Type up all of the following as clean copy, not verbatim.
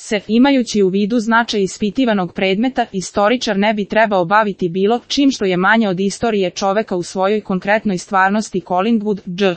se, imajući u vidu značaj ispitivanog predmeta, istoričar ne bi trebao baviti bilo čim što je manje od istorije čoveka u svojoj konkretnoj stvarnosti. Collingwood, Dž.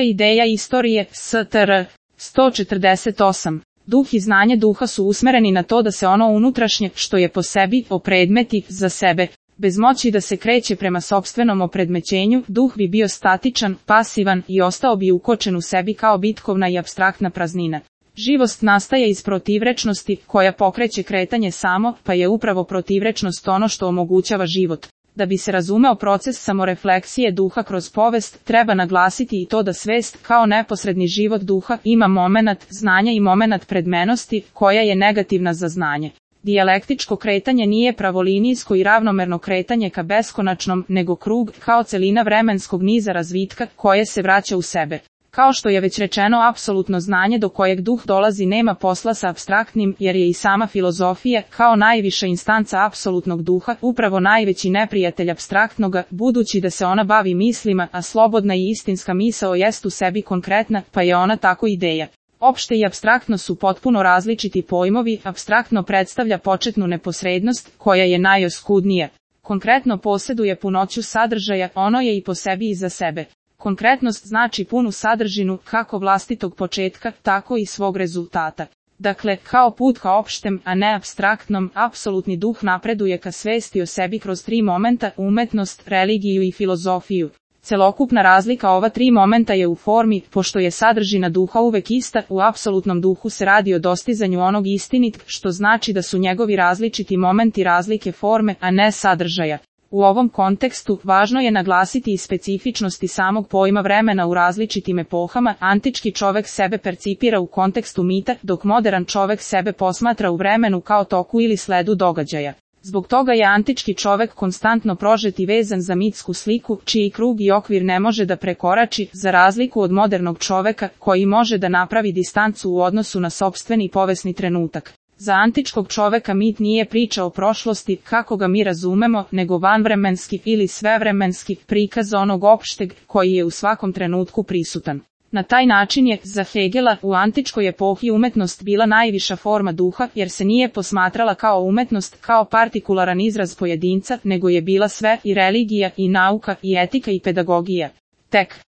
Ideja istorije, Str. 148. Duh i znanje duha su usmereni na to da se ono unutrašnje, što je po sebi, opredmeti za sebe. Bez moći da se kreće prema sopstvenom opredmećenju, duh bi bio statičan, pasivan i ostao bi ukočen u sebi kao bitkovna i apstraktna praznina. Živost nastaje iz protivrečnosti, koja pokreće kretanje samo, pa je upravo protivrečnost ono što omogućava život. Da bi se razumeo proces samorefleksije duha kroz povest, treba naglasiti i to da svest, kao neposredni život duha, ima momenat znanja i momenat predmenosti, koja je negativna za znanje. Dijalektičko kretanje nije pravolinijsko i ravnomerno kretanje ka beskonačnom, nego krug, kao celina vremenskog niza razvitka, koje se vraća u sebe. Kao što je već rečeno, apsolutno znanje do kojeg duh dolazi nema posla sa apstraktnim, jer je i sama filozofija, kao najviša instanca apsolutnog duha, upravo najveći neprijatelj apstraktnoga, budući da se ona bavi mislima, a slobodna i istinska misao jest u sebi konkretna, pa je ona tako ideja. Opšte i apstraktno su potpuno različiti pojmovi, apstraktno predstavlja početnu neposrednost, koja je najoskudnija. Konkretno posjeduje punoću sadržaja, ono je i po sebi i za sebe. Konkretnost znači punu sadržinu, kako vlastitog početka, tako i svog rezultata. Dakle, kao put ka opštem, a ne apstraktnom, apsolutni duh napreduje ka svesti o sebi kroz tri momenta, umetnost, religiju i filozofiju. Celokupna razlika ova tri momenta je u formi, pošto je sadržina duha uvek ista, u apsolutnom duhu se radi o dostizanju onog istinit, što znači da su njegovi različiti momenti razlike forme, a ne sadržaja. U ovom kontekstu, važno je naglasiti i specifičnosti samog pojma vremena u različitim epohama. Antički čovek sebe percipira u kontekstu mita, dok modern čovek sebe posmatra u vremenu kao toku ili sledu događaja. Zbog toga je antički čovek konstantno prožet i vezan za mitsku sliku, čiji krug i okvir ne može da prekorači, za razliku od modernog čoveka, koji može da napravi distancu u odnosu na sopstveni povesni trenutak. Za antičkog čoveka mit nije priča o prošlosti, kako ga mi razumemo, nego vanvremenski ili svevremenski prikaz onog opšteg, koji je u svakom trenutku prisutan. Na taj način je, za Hegela, u antičkoj epohi umetnost bila najviša forma duha, jer se nije posmatrala kao umetnost, kao partikularan izraz pojedinca, nego je bila sve, i religija, i nauka, i etika, i pedagogija. Tek